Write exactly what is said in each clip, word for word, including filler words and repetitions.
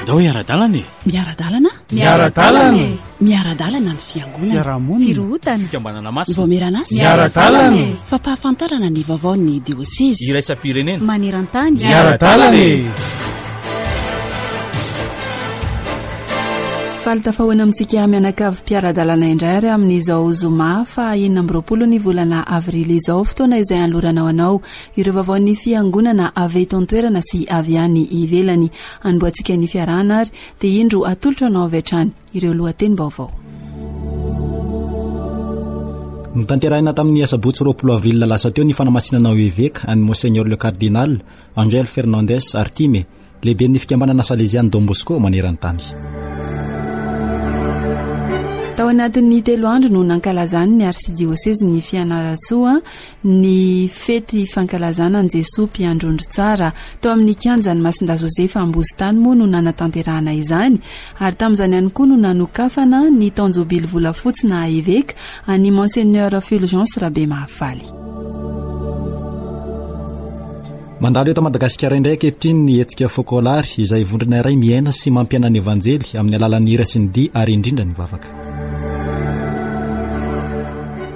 Andao hiara-dalana e! Miara-dalana? Miara-dalana e! Miara-dalana ny fiangonana. Fiarahamonina. Firohotana. Fikambanana masina. Vaomieran'asa. Miara-dalana e! Fampahafantarana ny vaovaon'ny diosezy. Iraisam-pirenena. Maneran-tany. Miara-dalana e! Faly tafahoana amintsika mianakavy mpiara-dalana indray ary amin'izao zoma faha enina amby roapolo ny volana avrily izao, fotoana izay anoloranao anao ireo vaovaon'ny fiangonana avy eto an-toerana sy avy any ivelany. Anombohantsika ny fiarahana ary dia indro atolotra anao avy hatrany ireo lohatenim-baovao. Notanterahina tamin'ny asabotsy roapolo avril lasa teo ny fanamasinana ho eveka an'i Monseigneur le Cardinal Angel Fernandez Artime, lehiben'ny fikambanana Salesian'ny Don Bosco maneran-tany. Tao anatin'ny telo andro no nankalazany ny arsidiosezy ny Fianarantsoa ny fety fankalazana an'i Jesoa mpiandrondro tsara. Tao amin'ny kianjan'ny Masindahy Josefa Ambozitany moa no nanatanterahana izany, ary tamin'izany ihany koa no nanokafana ny taon-jobily volafotsy na eveka an'i Monseigneur Fulgence Rabemahafaly. Mandalo eto Madagasikara indray ankehitriny ny hetsika Focolare, izay vondrona iray miaina sy mampiaina ny Evanjely amin'ny alalan'ny hira sy ny dihy ary indrindra ny vavaka.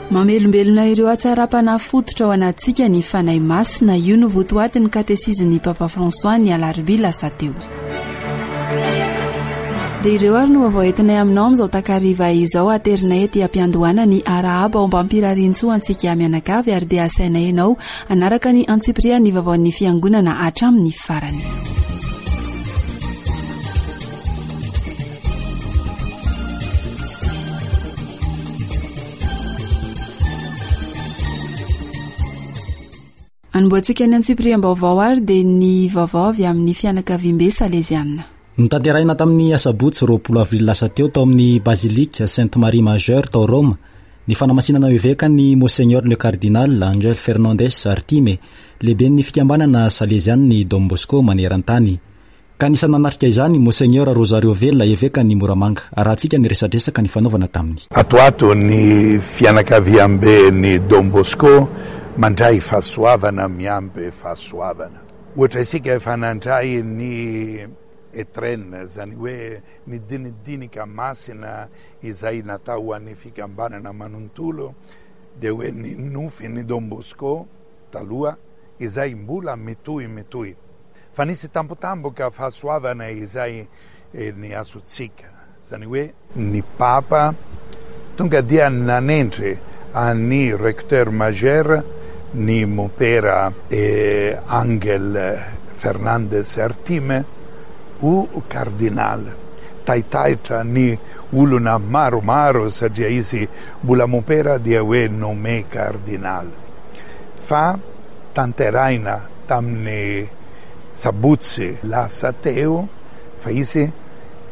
Mamelombelona ireo hatsaram-panahy fototra ao anatintsika ny Fanahy Masina. Io no votoatin'ny katesizin'ny Papa François ny alarobia lasa teo. Dia ireo ary no vaovao entinay aminao amin'izao takariva izao. Aterinay ety am-piandohana ny arahaba ao mbampirarintsoa antsika mianakavy, ary dia asainay ianao hanaraka ny antsipirian'ny vaovaon'ny fiangonana hatramin'ny farany. Anombohantsika ny antsipiriam-baovao ary dia ny vaovao avy amin'ny fianakaviambe Salesiana. Notanterahina tamin'ny asabotsy roapolo avril lasa teo tao amin'ny Basilique Sainte Marie Majeure tao Roma ny fanamasinana eveka ny Monseigneur le Cardinal Angel Fernandez Artime, lehiben'ny fikambanana Salesian'ny Don Bosco maneran-tany. Ka anisan'ny nanatrika izany Monseigneur Rosario Vela, eveka ny Moramanga. Arahantsika ny resadresaka ny fanaovana taminy. Ato ato ny fianakaviambe ny Don Bosco mandray fahasoavana miampy fahasoavana. Ohatra isika efa nandray ny etrena, zany hoe ny dinidinika masina izay natao ho an'ny fikambanana manontolo, dia hoe ny nofy ny Don Bosco taloha izay mbola mitohy mitohy. Fa nisy tampotampoka fahasoavana izay ny azontsika, zany hoe ny Papa tonga dia nanendry an'ny recteur majeur ny mompera Angel Fernandez Artime ho cardinal. Taitaitra ny olona maromaro satria izy mbola mompera dia hoe nommé cardinal. Fa tanterahina tamin'ny sabotsy lasa teo fa izy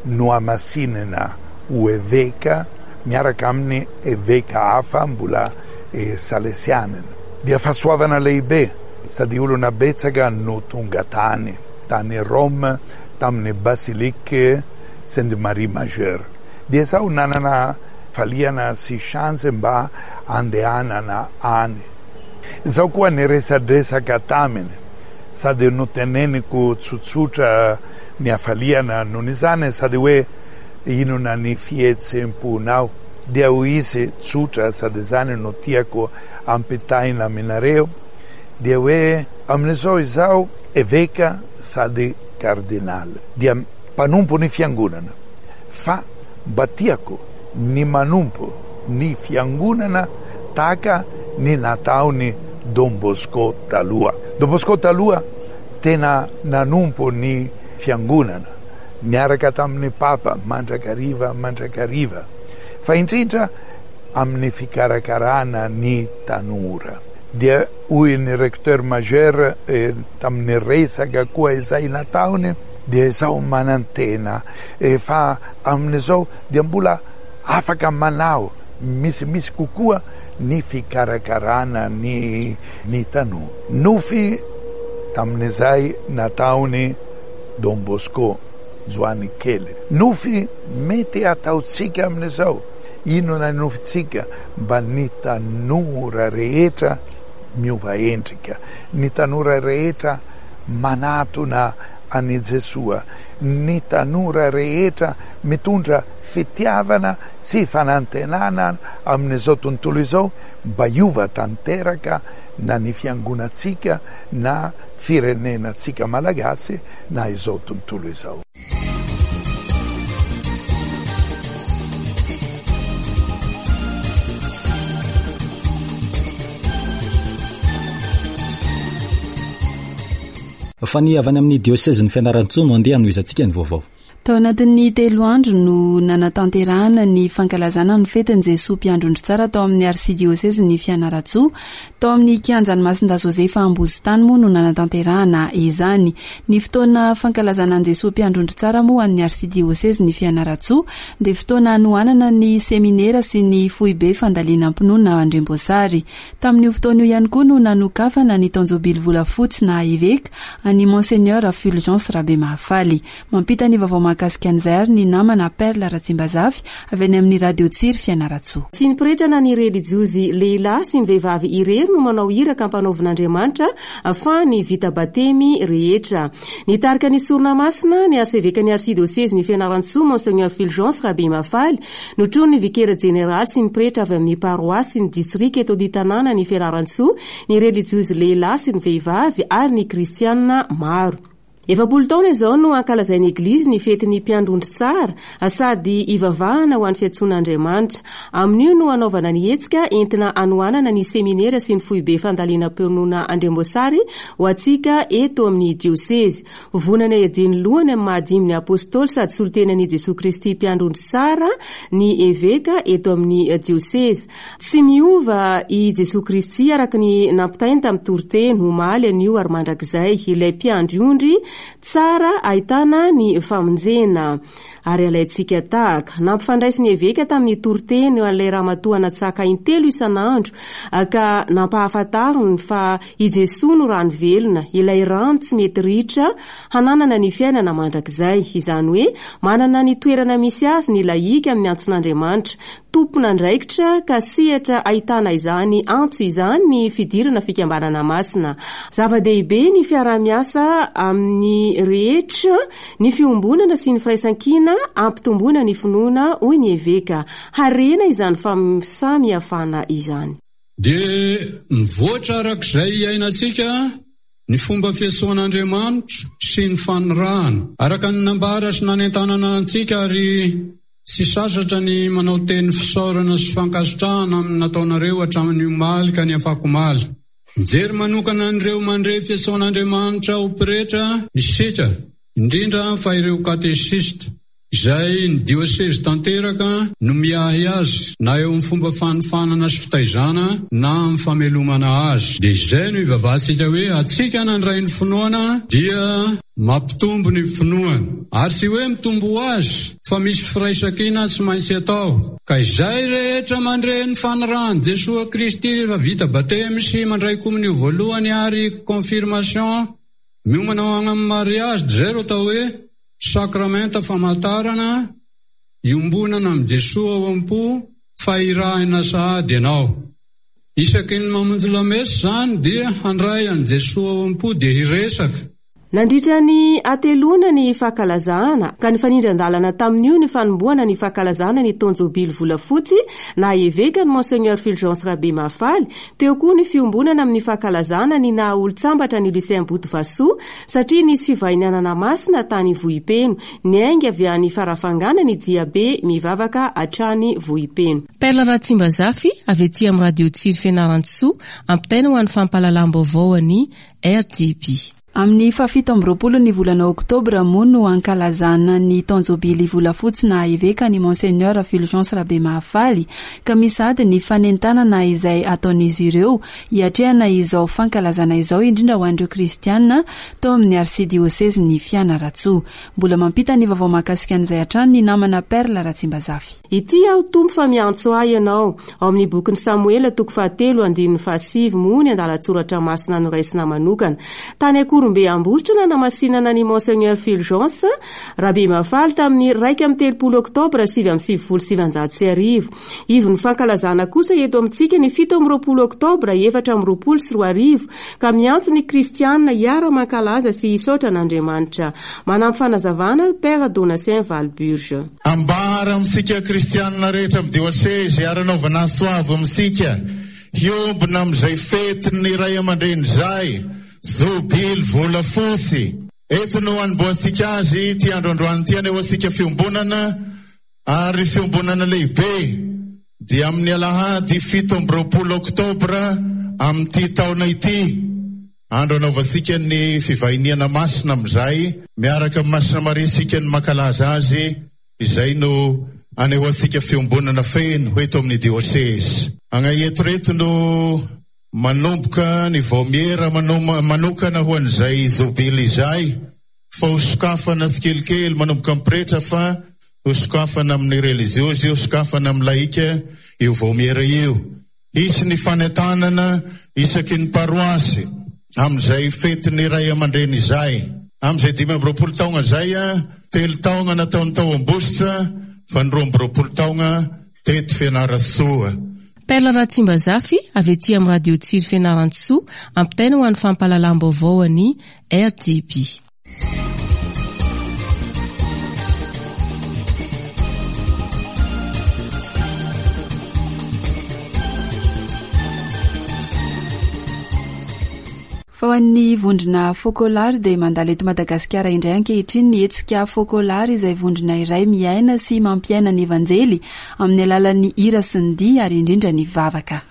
nohamasinina ho eveka miaraka amin'ny eveka hafa mbola salesianina. Dia fahasoavana lehibe sady olona betsaka no tonga tany tany Rome tamin'ny Basilique Sainte Marie Majeure. Dia zaho nanana faliana sy chance mba andehanana any. Zaho koa niresadresaka taminy sady noteneniko tsotsotra ny hafaliana noho izany, sady hoe inona ny fihetsem-ponao. Dia hoy izy tsotra sady izany no tiako ampitaina aminareo, dia hoe amin'izao izaho eveka sady cardinal, dia mpanompo ny fiangonana, fa mba tiako ny manompo ny fiangonana tahaka ny nataony Don Bosco taloha. Don Bosco taloha tena nanompo ny fiangonana niaraka tamin'ny Papa mandrakariva mandrakariva, fa indrindra amin'ny fikarakarana ny tanora. Dia hoy ny recteur majeur tamin'ny resaka koa izay nataony, dia izaho manantena fa amin'izao dia mbola afaka manao misimisy kokoa ny fikarakarana ny ny tanora. Nofy tamin'izay nataony Don Bosco Joany kely. Nofy mety ataontsika amin'izao. Inona ny nofintsika? Mba ny tanora rehetra miova endrika, ny tanora rehetra manatona an'i Jesoa, ny tanora rehetra mitondra fitiavana sy fanantenana amin'izao tontolo izao mba hiova tanteraka na ny fiangonantsika na firenenantsika malagasy na izao tontolo izao. Fa ny avy any amin'ny diosezin'ny Fianarantsoa no andeha hanohizantsika ny vaovao. Tao anatin'ny telo andro no nanatanterahana ny fankalazana ny fetin'i Jesoa Mpiandry Ondry Tsara tao amin'ny arsidiosezin'ny Fianarantsoa. Tao amin'ny kianjan'i Masindahy Josefa Ambozitany moa no nanatanterahana izany. Ny fotoana fankalazana an'i Jesoa Mpiandry Ondry Tsara moa an'ny arsidiosezin'ny Fianarantsoa dia fotoana hanohanana ny seminera sy ny foibe fandalinam-pinoana Andriamboasary. Tamin'io fotoana io ihany koa no nanokafana ny taon-jobily volafotsy na eveka an'i Monseigneur Fulgence Rabemahafaly. Mampita ny vaovao mahakasika an'izay ary ny namana Perle Ratsimbazafy avy any amin'ny Radio Tsiry Fianarantsoa. Tsy ny pretra na ny relijiozy lehilahy sy ny vehivavy irery no manao iraka ampanaovin'Andriamanitra fa ny vita batemy rehetra. Nitarika ny sorona masina ny arsevekan'ny arsidiosezin'ny Fianarantsoa Monseigneur Fulgence Rabemahafaly, notronin'ny vikera jeneraly sy ny pretra avy amin'ny paroasy sy ny distrika eto an-tanàna ny Fianarantsoa, ny relijiozy lehilahy sy ny vehivavy ary ny kristianina maro. Efapolo taona izao no ankalazain'ny Eglizy ny fetin'ny Mpiandry Ondry Tsara sady ivavahana ho an'ny fiantsoan'Andriamanitra. Amin'io no hanaovana ny hetsika entina hanohanana ny seminera sy ny foibe fandalinam-pinoana Andriamboasary ho antsika eto amin'ny diosezy. Vonana hiadian'ny lohany amin'ny mahadimy ny apôstôly sady solontenan'i Jesoa Kristy Mpiandry Ondry Tsara ny eveka eto amin'ny diosezy. Tsy miova i Jesoa Kristy araka ny nampitainy tamin'ny toriteny omaly, anio ary mandrakizay, ilay mpiandry ondry tsara ahitana ny famonjena ary alaintsika tahaka. Nampifandraisin'ny eveka tamin'ny toriteny an'ilay ramatoa natsaka intelo isan'andro ka nampahafantariny fa i Jesoa no rano velona, ilay rano tsy mety ritra hananana ny fiainana mandrakizay. Izany hoe manana ny toerana misy azy ny lahika amin'ny antson'Andriamanitra, tompon'andraikitra ka sehatra ahitana izany antso izany ny fidirana fikambanana masina. Zava-dehibe ny fiaraha-miasa amin'ny rehetra, ny fiombonana sy ny firaisankina ampitomboana ny finoana, hoy ny eveka. Harena izany fahasamihafana izany. Dia mivoatra arak'izay iainantsika ny fomba fiantsoan'Andriamanitra sy ny fanirahana. Araka ny nambara sy nanentanana antsika ary tsy sasatra ny manao teny fisaorana sy fankasitrahana amin'ny nataonareo hatramin'ny omaly ka ny afakomaly. Mijery manokana an'ireo mandre fiantsoan'Andriamanitra ho pretra isika, indrindra fa ireo katesista, izay ny diosezy tanteraka no miahy azy na eo amin'ny fomba fanofanana sy fitaizana na amin'ny famelomana azy. Dia izay no ivavahantsika hoe antsika nandray ny finoana dia mampitombo ny finoana. Ary tsy hoe mitombo ho azy fa misy firaisankina tsy maintsy atao. Ka izay rehetra mandre ny fanirahan'i Jesoa Kristy rehefa vita batemy sy mandray komonio voalohany ary confirmation miomana ho any amin'ny mariage, dia izay ro atao hoe sakramenta famantarana iombonana amin'i Jesoa ao am-po fa irahina sahady ianao. Isaky ny mamonjy lamesa izany dia handray an'i Jesoa ao am-po dia hiresaka. Nandritra ny hateloana ny fankalazana ka nifanindran-dalana tamin'io ny fanombohana ny fankalazana ny taon-jobily volafotsy na eveka ny Monseigneur Fulgence Rabemahafaly. Teo koa ny fiombonana amin'ny fankalazana ny naha olon-tsambatra ny Lucien Botovasoa satria nisy fivahinianana masina tany Vohipeno. Niainga avy any Farafangana ny diabe mivavaka hatrany Vohipeno. Perle Ratsimbazafy avy aty amin'ny Radio Tsiry Fianarantsoa, ampitaina ho an'ny fampahalalam-baovao an'ny R T B. Amin'ny fahafito amby roapolo ny volana oktobra moa no ankalazana ny taon-jobily volafotsy na eveka ny Monseigneur Fulgence Rabemahafaly, ka misy ady ny fanentanana izay ataon'izy ireo hiatrehana izao fankalazana izao, indrindra ho an'ireo kristianina tao amin'ny arsidiosezin'ny Fianarantsoa. Mbola mampita ny vaovao mahakasika an'izay hatrany ny namana Perle Ratsimbazafy. Ity aho Tompo fa miantso ahy ianao. Ao amin'ny bokin'i Samoela toko fahatelo andininy fahasivy moa ny andalan-tsoratra masina noraisina manokana. Tany Ihorombe Ambositra nanamasinana ny Monseigneur Fulgence Rabemahafaly tamin'ny iraika amby telopolo oktobra sivy amby sivifolo sy sivinjato sy arivo. Ivon'ny fankalazana kosa eto amintsika ny fito amby roapolo oktobra efatra amby roapolo sy roa arivo ka miantso ny kristianina hiara-mankalaza sy hisaotra an'Andriamanitra. Manampy fanazavana Père Donatien Valburge. Ambara amintsika kristianina rehetra amin'ny diosezy ary anaovana soavo amintsika hiombona amin'izay fetin'ny ray aman-dreny izay, jobily volafotsy. Eto no anombohantsika azy ity androandroany ity, anehoantsika fiombonana ary fiombonana lehibe dia amin'ny alahady fito amby roapolo oktobra amin'ity taona ity. Andro anaovantsika ny fivahiniana masina amin'izay, miaraka amin'ny Masina Maria isika ny mankalaza azy, izay no anehoantsika fiombonana feno eto amin'ny diosezy. Agna eto reto no manomboka ny vaomiera manokana ho an'izay jobily izay, fa hosokafana tsikelikely manomboka amin'ny pretra, fa hosokafana amin'ny reliziozy, hosokafana amin'ny laika io vaomiera io. Hisy ny fanentanana isaky ny paroasy amin'izay fetin'ny ray aman-dreny izay. Amin'izay dimy amby roapolo taona izay, telo taona nataony tao Ambositra, fa ny roa amby roapolo taona teto Fianarantsoa. Perla Ratsimbazafy avy ety amin'ny Radio Tsiry Fianarantsoa, ampitaina ho an'ny fampahalalam-baovao an'ny R T B. Fa ho an'ny vondrona Focolare dia mandalo eto Madagasikara indray ankehitriny ny hetsika Focolare, izay vondrona iray miaina sy mampiaina ny Evanjely amin'ny alalan'ny hira sy ny dihy ary indrindra ny vavaka.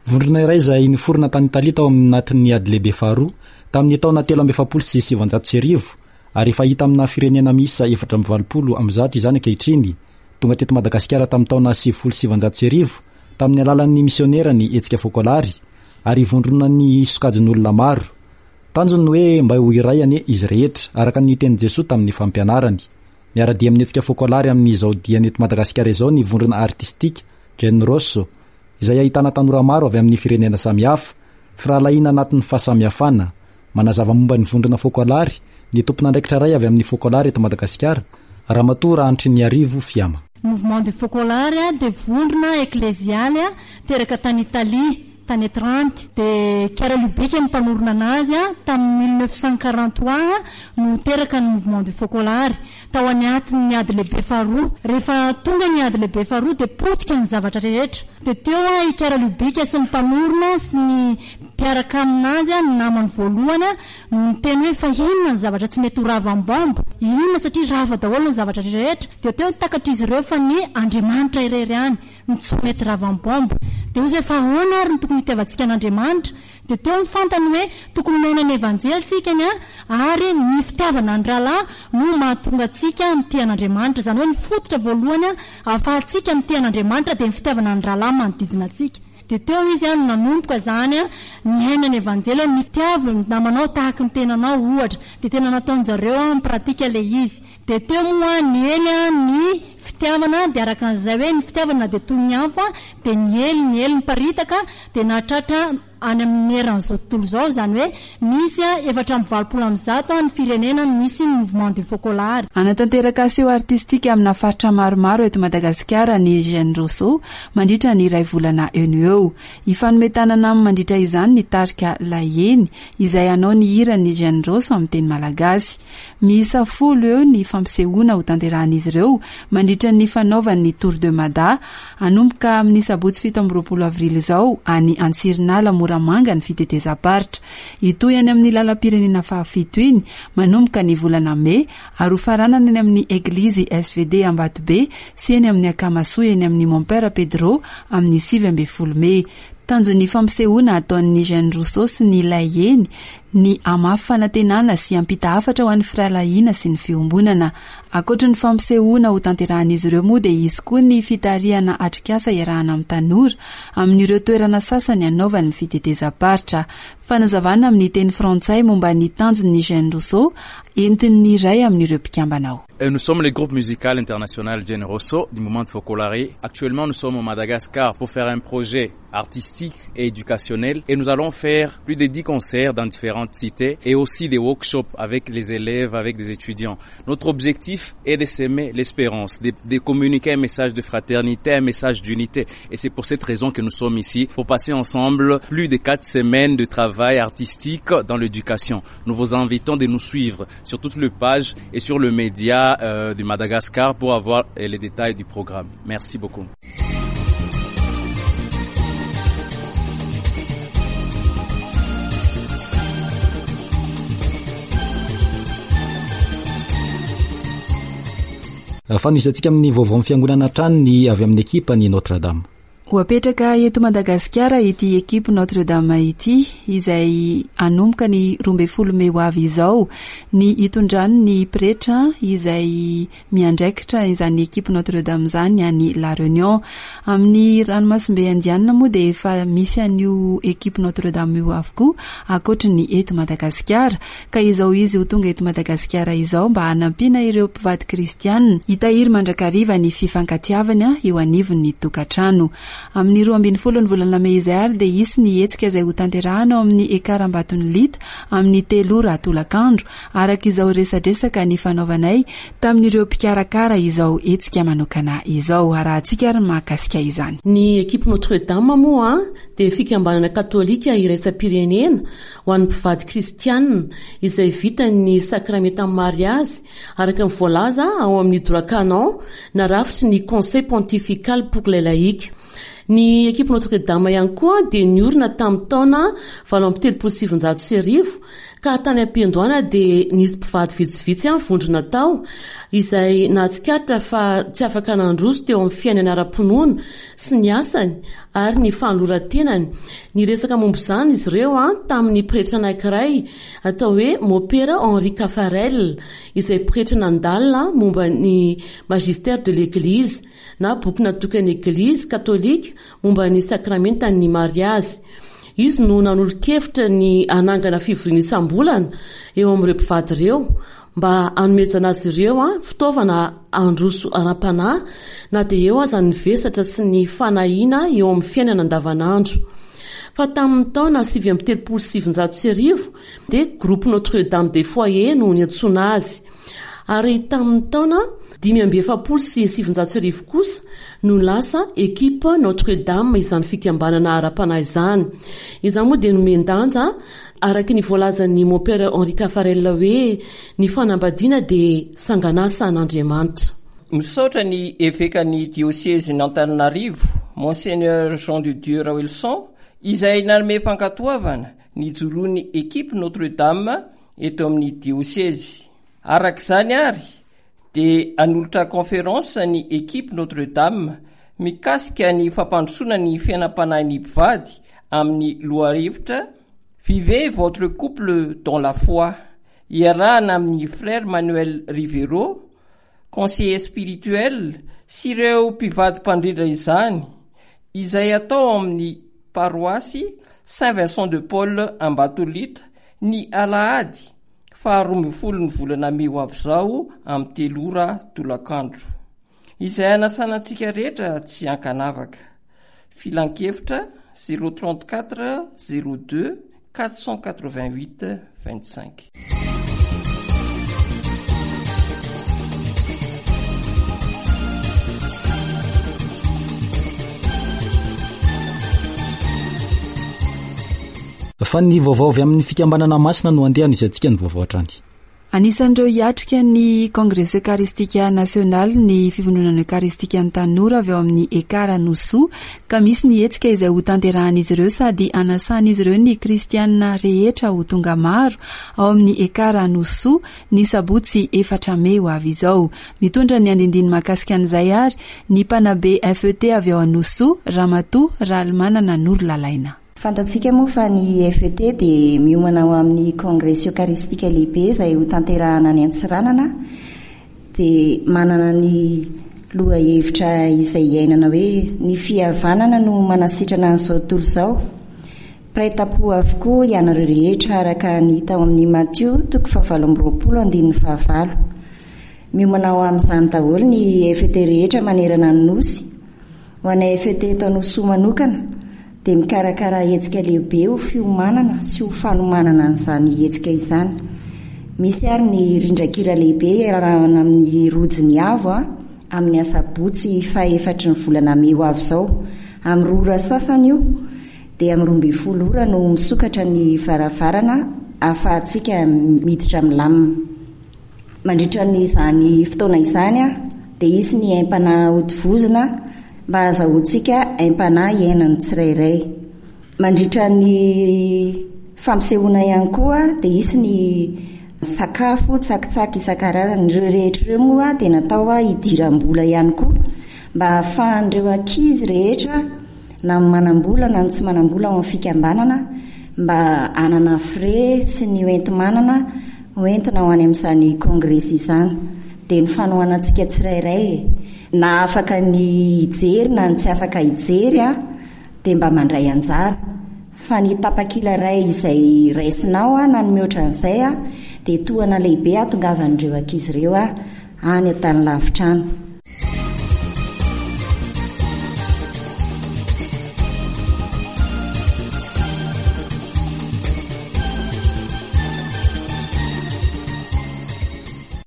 Vondrona iray izay niforona tany Italia tao anatin'ny ady lehibe faharoa tamin'ny taona telo amby efapolo sy sivanjato sy arivo ary efa hita amina firenena miisa efatra amby valopolo amby zato izany ankehitriny. Tonga teto Madagasikara tamin'ny taona sivifolo sy sivanjato sy arivo tamin'ny alalan'ny misionera ny hetsika Focolare ary vondrona ny sokajin'olona maro. Tanjony hoe mba ho iray anie izy rehetra, araka ny tenin'i Jesoa tamin'ny fampianarany. Miara-dia amin'ny hetsika Focolare amin'izao diany eto Madagasikara izao ny vondrona artistika Gen Rosso, izay ahitana tanora maro avy amin'ny firenena samihafa, firahalahiana anatin'ny fahasamihafana. Manazava momba ny vondrona Focolare ny tompon'andraikitra iray avy amin'ny Focolare eto Madagasikara, Ramatoa Rahantriniarivo Fiama. Mouvement de Focolare dia vondrona eklezialy teraka tany Italia tany Trente, dia Chiara Lubich ny mpanorina anazy tamin'ny mille neuf cent quarante-trois no teraka ny mouvement de Focolare tao anatin'ny ady lehibe faharoa. Rehefa tonga ny ady lehibe faharoa dia potika ny zavatra rehetra. Dia teo i Chiara Lubich sy ny mpanorina sy ny mpiaraka aminazy, ny namany voalohany, no niteny hoe fa inona ny zavatra tsy mety ho ravam-bomba, inona satria rava daholo ny zavatra rehetra. Dia teo takatr'izy ireo fa ny Andriamanitra irery ihany no tsy mety ravam-bomba. Dia hoy izy hoe fa ahoana ary no tokony hitiavantsika an'Andriamanitra? Dia teo ny fantany hoe tokony miaina ny Evanjely tsika ny ary ny fitiavana ny rahalahy no mahatonga antsika mitia an'Andriamanitra. Izany hoe ny fototra voalohany ahafahantsika mitia an'Andriamanitra dia ny fitiavana ny rahalahy manodidina antsika. Dia teo izy no nanomboka izany niaina ny Evanjely hoe mitiavo ny namanao tahaka ny tenanao ohatra. Dia tena nataon-jareo amin'ny pratika ilay izy. Dia teo moa niely ny fitiavana, dia araka an'izay hoe ny fitiavana dia toy ny afo, dia niely, niely niparitaka, dia nahatratra any amin'ny eran'izao tontolo izao. Izany hoe misy efatra amby valopolo amby zato ny firenena misy ny mouvement de Focolare. Hanatanteraka seho artistika amina faritra maromaro eto Madagasikara ny Gen Rosso mandritra ny iray volana eo no eo. Hifanome tanana aminy mandritra izany ny tarika Laheny izay hanao ny hiran'ny Gen Rosso amin'ny teny malagasy. Miisa folo eo ny fampisehoana ho tanterahan'izy ireo mandritra ny fanaovany ny Tour de Mada hanomboka amin'ny sabotsy fito amby roapolo avrily izao any Antsirinala Moramanga ny fitetezam-paritra. Hitohy any amin'ny lalam-pirenena fahafito iny manomboka ny volana mey ary ho faranana any amin'ny Eglizy S V D Ambatobe sy eny amin'ny Akamasoa eny amin'ny Mon Père Pedro amin'ny sivy ambin'ny folo mey. Tanjon'ny fampisehoana ataon'ny Gen Rosso sy ny Laheny ny hamafy fanantenana sy hampita hafatra ho an'ny firahalahiana sy ny fiombonana. Ankoatry ny fampisehoana ho tanterahan'izy ireo moa dia hisy koa ny fitarihana atrikasa iarahana amin'ny tanora amin'ireo toerana sasany hanaovany ny fitetezam-paritra. Fanazavana amin'ny teny frantsay momba ny tanjon'ny Gen Rosso entin'ny iray amin'ireo mpikambana ao. Nous sommes le groupe musical international Gen Rosso du mouvement de Focolare. Actuellement, nous sommes au Madagascar pour faire un projet artistique et éducationnel et nous allons faire plus de dix concerts dans différentes cités et aussi des workshops avec les élèves, avec des étudiants. Notre objectif est de semer l'espérance, de, de communiquer un message de fraternité, un message d'unité. Et c'est pour cette raison que nous sommes ici, pour passer ensemble plus de quatre semaines de travail artistique dans l'éducation. Nous vous invitons de nous suivre sur toutes les pages et sur le média euh, du Madagascar pour avoir les détails du programme. Merci beaucoup. Fanohizantsika amin'ny vaovao amin'ny fiangonana hatrany ny avy amin'ny ekipa ny Notre Dame. Ho apetraka eto Madagasikara ity ekipa Notre Dame ity izay hanomboka ny roa ambin'ny folo mey ho avy izao ny hitondrany ny pretra izay miandraikitra izany ekipa Notre Dame izany any La Réunion. Amin'ny ranomasimbe Indiana moa dia efa misy an'io ekipa Notre Dame io avokoa ankoatry ny eto Madagasikara, ka izao izy ho tonga eto Madagasikara izao mba hanampiana ireo mpivady kristianina hitahiry mandrakariva ny fifankatiavana eo anivon'ny tokantrano. Amin'ny roa ambin'ny folo ny volana mey izay ary dia hisy ny hetsika izay ho tanterahana ao amin'ny Ekar Ambatonilita amin'ny telo ora tolakandro, araka izao resadresaka ny fanaovanay tamin'ireo mpikarakara izao hetsika manokana izao. Arahantsika ary ny mahakasika izany. Ny ekipa Notre Dame moa dia fikambanana katolika iraisam-pirenena ho an'ny mpivady kristianina izay vita ny sakramentan'ny mariazy araka ny voalaza ao amin'ny droit canon narafitry ny Conseil pontifical pour les laïcs. Ny ekipa Notre Dame ihany koa dia niorina tamin'ny taona valo amby telopolo sy sivinjato sy arivo ka tany am-piandohana dia nisy mpivady vitsivitsy any vondrona tao izay nahatsikaritra fa tsy afaka nandroso teo amin'ny fiainana ara-pinoana sy ny asany ary ny fanoloran-tenany. Niresaka momba izany izy ireo an tamin'ny pretra anankiray atao hoe Mopera Henri Caffarel izay pretra nandalina momba ny magistère de l'Église na boky natokan'ny Eglizy katolika momba ny sakramentan'ny mariazy. Izy no nanolo-kevitra ny hanangana fivoriana isam-bolana eo amin'ireo mpivady ireo mba hanomezana azy ireo an fitaovana handroso ara-panahy na dia eo aza ny vesatra sy ny fanahiana eo amin'ny fiainana andavanandro. Fa tamin'ny taona sivy amby telopolo sy sivinjato sy arivo dia groupe Notre Dame des Foyers no niantsoana azy. Ary tamin'ny taona dimy amby efapolo sy sivinjato sy arivo kosa no lasa ekipa Notre Dame izany fikambanana ara-panahy izany. Izany moa dia nomen-danja araka ny voalazan'ny Mopera Henri Caffarel hoe ny fanambadiana dia sanganasa an'Andriamanitra. Misaotra ny evekan'ny diosezin'Antananarivo, Monseigneur Jean de Dieu Raoelson, izay nanome fankatoavana ny joroan'ny ekipa Notre Dame eto amin'ny diosezy. Araka izany ary dia hanolotra conférence ny ekipa Notre Dame mikasika ny fampandrosoana ny fiainam-panahin'ny mpivady amin'ny lohahevitra Vivez votre couple dans la foi. Iarahana amin'ny frère Manuel Rivero, conseiller spirituel sy ireo mpivady mpandrindra izany, izay atao amin'ny paroasy Saint Vincent de Paul Ambatolita ny alahady faharoa ambin'ny folo ny volana mey ho avy izao amin'ny telo ora tolakandro. Izay hanasana antsika rehetra tsy ankanavaka. Filankevitra zéro trente-quatre zéro deux quatre cent quatre-vingt-huit vingt-cinq. Fa ny vaovao avy amin'ny fikambanana masina no andeha hanohizantsika ny vaovao hatrany. Anisan'ireo hiatrika ny Kongresy Eucharistique National ny fivondronana Eucharistique ny tanora avy ao amin'ny Ekar Nosy, ka misy ny hetsika izay ho tanterahan'izy ireo sady anasan'izy ireo ny kristianina rehetra ho tonga maro ao amin'ny Ekar Nosy ny sabotsy efatra mey ho avy izao. Mitondra ny andindiny mahakasika an'izay ary ny mpanabe F E T avy ao Nosy, Ramatoa Ralimanana Norolalaina. Fantatsika moa fa ny F E T dia miomana ho amin'ny Kongresy Eucharistique lehibe izay ho tanterahana any Antsiranana, dia manana ny lohahevitra izay iainana hoe ny fihavanana no manasitrana an'izao tontolo izao. Mpiray tampo avokoa ianareo rehetra araka ny hita ao amin'ny Matio toko fahavalo amby roapolo andininy fahavalo. Miomana ho amin'izany daholo ny F E T rehetra manerana ny Nosy. Ho anay F E T eto Anosisoa manokana dia mikarakara hetsika lehibe ho fiomanana sy ho fanomanana an'izany hetsika izany. Misy ary ny rindran-kira lehibe iarahana amin'ny Rojo ny Avo a, amin'ny asabotsy fahefatry ny volana mey ho avy izao. Amin'ny roa ora sasany io dia amin'ny roa ambin'ny folo ora no misokatra ny varavarana ahafahantsika miditra milamina. Mandritra n'izany fotoana izany a, dia hisy ny aim-panahy hotovozina mba hahazahoantsika aim-panahy iainan'ny tsirairay. Mandritra ny fampisehoana ihany koa dia hisy ny sakafo tsakitsaky isan-karazany. Ireo rehetra ireo moa dia natao hidiram-bola ihany koa mba hahafahan'ireo ankizy rehetra na ny manam-bola na ny tsy manam-bola ao amin'ny fikambanana mba hanana frais sy ny hoenti-manana hoentina ho any amin'izany kongresy izany. Dia ny fanohanantsika tsirairay e, na afaka ny hijery na ny tsy afaka hijery a, dia mba mandray anjara. Fa ny tapakila iray izay raisinao a, na ny mihoatra an'izay a, dia tohana lehibe hahatongavan'ireo ankizy ireo a, any an-tany lavitra any.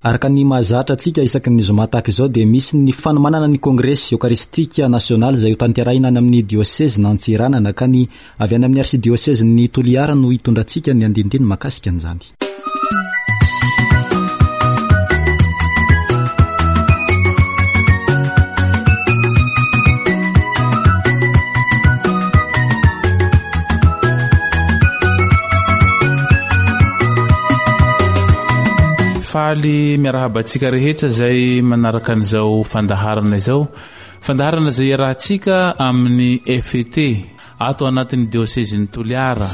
Araka ny mahazatra antsika isaky ny zoma tahaka izao dia misy ny fanomanana ny kongresy eokaristika nasionaly izay ho tanterahina any amin'ny diosezin'Antsiranana ka ny avy any amin'ny arsidiosezin'ny Toliara no hitondrantsika ny andinindiny mahakasika an'izany. Faly miarahaba antsika rehetra izay manaraka an'izao fandaharana izao. Fandaharana izay iarahantsika amin'ny F E T ato anatin'ny diosezin'ny Toliara.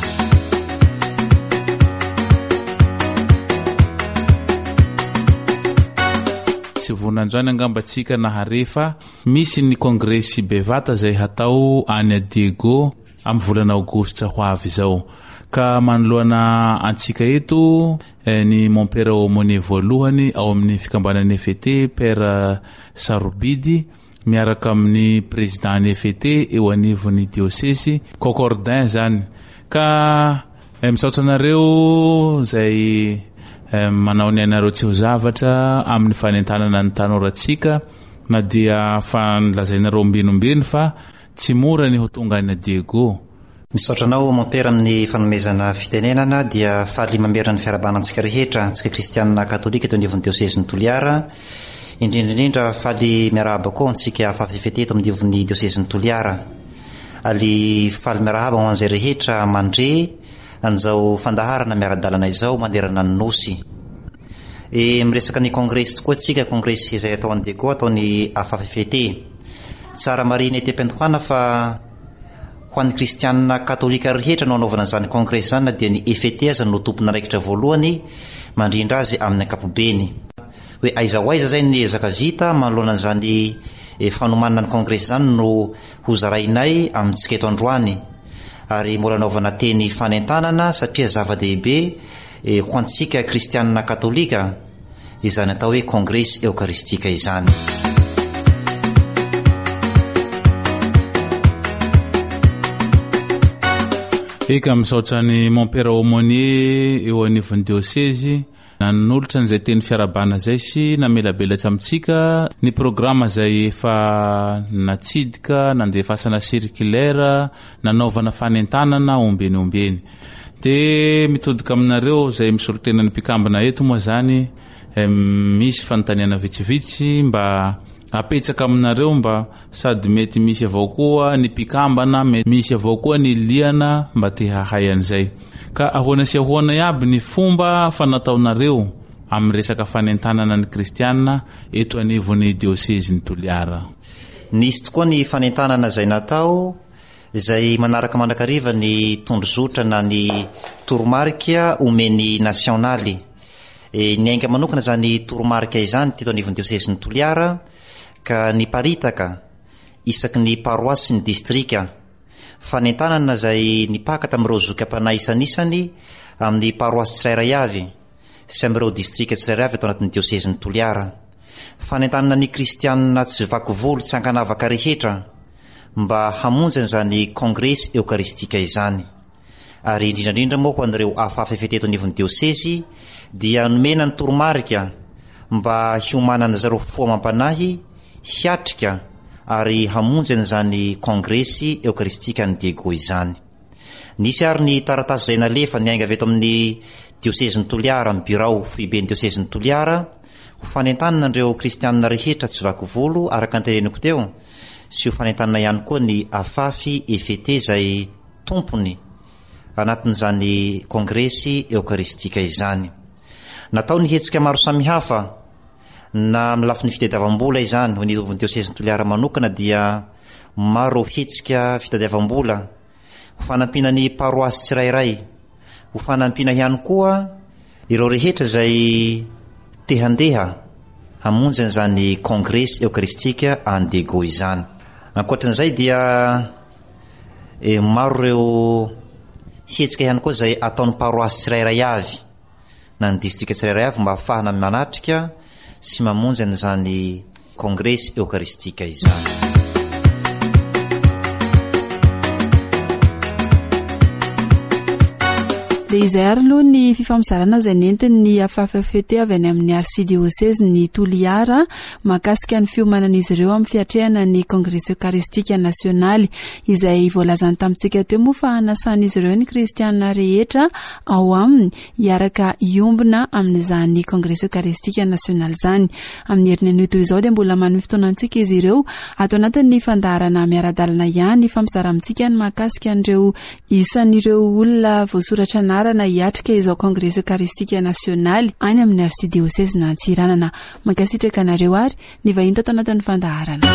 Tsy vonandroany angamba antsika nahare fa misy ny kongresy bevata izay hatao any Diego amin'ny volana aogositra ho avy izao. Ka manoloana antsika eto ny mompera aumônier voalohany ao amin'ny fikambanan'ny F E T, Père Sarobidy, miaraka amin'ny président ny F E T eo anivon'ny diosesy Concordin zany. Ka misaotra anareo zay manao ny ainareo tsy ho zavatra amin'ny fanentanana ny tanorantsika, na dia fa nolazainareo ombenombeny fa tsy mora ny ho tonga any Diego. Misaotra anao mompera amin'ny fanomezana fitenenana. Dia faly mamerina ny fiarahabana antsika rehetra, antsika kristianina katolika eto anivon'ny diosezin'ny Toliara. Indrindra indrindra faly miarahaba koa antsika F F T eto amin'nivon'ny diosezin'ny Toliara. Ali faly miarahaba ho an'izay rehetra mandre an'izao fandaharana miara-dalana izao manerana ny nosy. E, miresaka ny kongresy tokoa antsika, kongresy izay atao any Diego, ataony A F F T. Tsara marihina ety am-piandohana fa ho an'ny kristianina katolika rehetra no anaovana an'izany kongresy zany, na dia ny F E T aza no tompon'andraikitra voalohany mandrindra azy amin'ny ankapobeny. Hoe aiza ho aiza zay ny ezaka vita manoloana an'izany fanomanana ny kongresy zany no ho zarainay amintsika eto androany, ary mbola anaovana teny fanentanana satria zava-dehibe ho antsika kristianina katolika izany atao hoe kongresy eokaristika izany. Eka, misaotra ny mompera aumônier eo anivon'ny diosezy nanolotra an'izay teny fiarahabana zay sy namelabelatra amintsika ny programa zay efa natsidika, nandefasana circulaire, nanaovana fanentanana ombeny ombeny. De mitodika aminareo zay misolo tena ny mpikambana eto moa zany, misy fanontaniana vitsivitsy mba apetsaka aminareo, mba sady mety misy avao koa ny mpikambana, misy avao koa ny liana mba te hahay an'izay. Ka ahoana sy ahoana iaby ny fomba fanataonareo amin'ny resaka fanentanana ny kristianina eto anivon'ny diosezin'ny Toliara? Nisy tokoa ny fanentanana izay natao, izay manaraka mandrakariva ny tondrozotra na ny toromarika omeny nasionaly. E, ny ainga manokana zany toromarika izany teto anivon'ny diosezin'ny Toliara ka niparitaka isaky ny paroasy sy ny distrika. Fanentanana izay nipaka tamin'ireo zoky am-panahy isanisany amin'ny paroasy tsirairay avy sy amin'ireo distrika tsirairay avy ato anatin'ny diosezin'i Toliara. Fanentanana ny kristianina tsy vaky volo tsy ankanavaka rehetra mba hamonjy an'izany kongresy eokaristika izany. Ary indrindra indrindra moa ho an'ireo afafa efa teto anivon'ny diosezy dia nomena ny toromarika mba hiomanana zareo fo amam-panahy hiatrika ary hamonjy an'izany kongresy eokaristika any Diego izany. Nisy ary ny taratasy izay nalefa niainga avy eto amin'ny diosezin'i Toliara, amin'ny birao foiben'ny diosezin'i Toliara, ho fanentanana an'ireo kristianina rehetra tsy vaky volo araka ny teneniko teo, sy ho fanentanana ihany koa ny Afafi E F T izay tompony anatin'izany kongresy eokaristika izany. Natao ny hetsika maro samihafa na amin'ny lafiny fitadiavam-bola izany, ho an'ny diosezin'i Toliara manokana dia maro hetsika fitadiavam-bola ho fanampiana ny paroasy tsirairay, ho fanampiana ihany koa ireo rehetra izay te handeha hamonjy an'izany kongresy eokaristika any Diego izany. Ankoatran'izay dia e, maro ireo hetsika ihany koa izay ataon'ny paroasy tsirairay avy na ny distrika tsirairay avy mba hahafahana manatrika sy mamonjy an'izany kongresy eokaristika izany. Dia izay ary aloha ny fifampizarana izay nentin'ny A F F T avy any amin'ny arsidiosezin'i Toliara mahakasika ny fiomanan'izy ireo amin'ny fiatrehana ny kongresy eucharistique nasionaly izay voalazany tamintsika teo moa fa hanasan'izy ireo ny kristianina rehetra ao aminy hiaraka hiombona amin'izany kongresy eucharistique nasionaly izany. Amin'ny heriny anio toy izao dia mbola manome fotoana antsika izy ireo ato anatin'ny fandaharana miara-dalana ihany fampizara amintsika ny mahakasika an'ireo isan'ireo olona voasoratra anarana hiatrika izao kongresy eucharistique nasionaly any amin'ny arsidiosezin'i Antsiranana. Mankasitraka anareo ary ny vahiny tato anatin'ny fandaharana.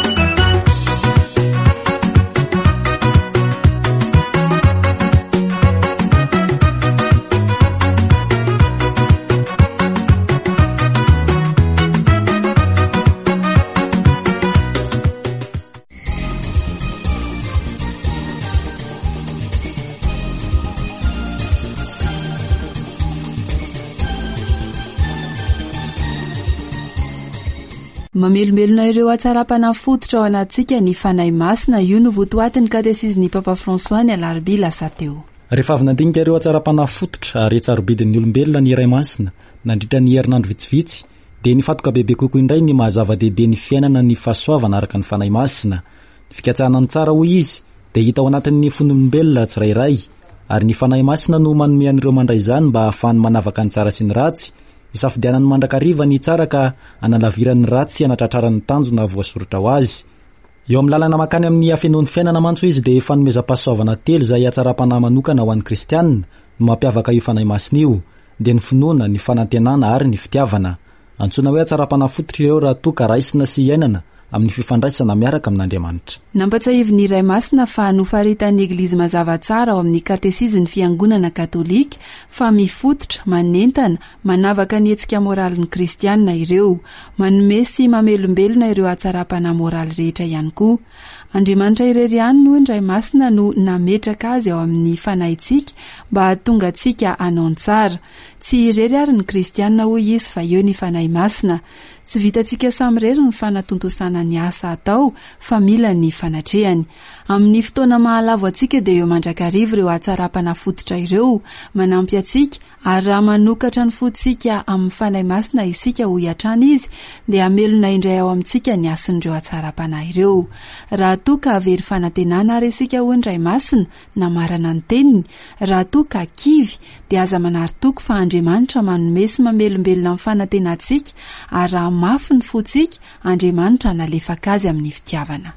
Mamelombelona ireo hatsaram-panahy fototra ao anatintsika ny Fanahy Masina. Io no votoatin'ny katesizin'ny Papa François ny alarobia lasa teo. Rehefa avy nandinika ireo hatsaram-panahy fototra ary tsarobidin'ny olombelona ny Ray Masina nandritra ny herinandro vitsivitsy, dia nifantoka bebe kokoa indray ny mahazava-dehibe ny fiainana ny fahasoavana araka ny Fanahy Masina. Ny fikatsahana ny tsara, hoy izy, dia hita ao anatin'ny fon'olombelona tsirairay, ary ny Fanahy Masina no manome an'ireo mandray izany mba hahafahany manavaka ny tsara sy ny ratsy, isafidianany mandrakariva ny tsara ka analavirany ratsy anatratrarany tanjona voasoritra ho azy. Eo amin'ny lalana makany amin'ny hafenoan'ny fiainana mantsy izy dia fanomezam-pahasoavana telo izay hatsaram-panahy manokana ho an'ny kristianina no mampiavaka io Fanahy Masina io, dia ny finoana, ny fanantenana ary ny fitiavana. Antsoina hoe hatsaram-panahy fototra ireo raha toa ka raisina sy iainana amin'ny fifandraisana miaraka amin'Andriamanitra. Nampatsiahivin'ny Ray Masina fa nofaritan'ny Eglizy mazava tsara ao amin'ny katesizin'ny Fiangonana katolika fa mifototra, manentana, manavaka ny hetsika moralin'ny kristianina ireo, manome sy mamelombelona ireo hatsaram-panahy moraly rehetra ihany koa. Andriamanitra irery ihany no ny Ray Masina no nametraka azy ao amin'ny fanahintsika mba hahatonga antsika hanao ny tsara. Tsy irery ary ny kristianina, hoy izy, fa eo ny Fanahy Masina. Tsy vitantsika samirery ny fanatontosana ny asa atao fa mila ny fanatrehany. Amin'ny fotoana mahalavo antsika dia eo mandrakariva ireo hatsaram-panahy fototra ireo manampy antsika, ary raha manokatra ny fontsika amin'ny Fanahy Masina isika, hoy hatrany izy, dia hamelona indray ao amintsika ny hasin'ireo hatsaram-panahy ireo. Raha toa ka very fanantenana ary isika, hoy ny Ray Masina namarana ny teniny, raha toa ka kivy dia aza manary toky fa Andriamanitra manome sy mamelombelona amin'ny fanantenantsika, ary raha mafy ny fontsika, Andriamanitra hanalefaka azy amin'ny fitiavana.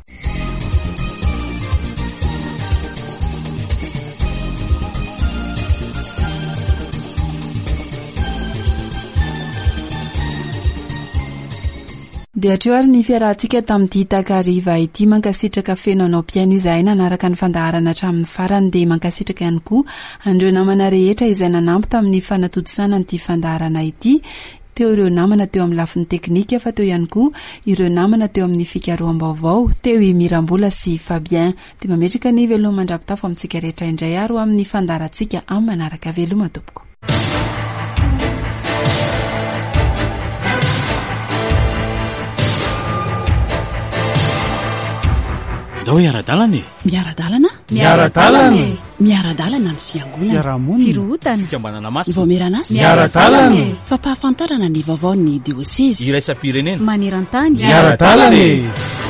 Dia hatreo ary ny fiarahantsika tamin'ity takariva ity. Mankasitraka feno anao mpihaino izahay nanaraka ny fandaharana hatramin'ny farany, dia mankasitraka ihany koa an'ireo namana rehetra izay nanampy tamin'ny fanatontosana an'ity fandaharana ity. Teo ireo namana teo amin'ny lafiny teknika, fa teo ihany koa ireo namana teo amin'ny fikaroham-baovao, teo i Mirambola sy Fabien. Dia mametraka ny veloma mandra-pitafo amintsika rehetra indray ary ho amin'ny fandaharantsika amin'ny manaraka. Veloma tompoko. Ndao hiara-dalana e! Miara-dalana? Miara-dalana e! Miara-dalana ny fiangonana. Fiarahamonina. Firohotana. Fikambanana masina. Vaomieran'asa. Miara-dalana e! Fampahafantarana ny vaovaon'ny diosezy. Iraisam-pirenena. Maneran-tany. Miara-dalana e!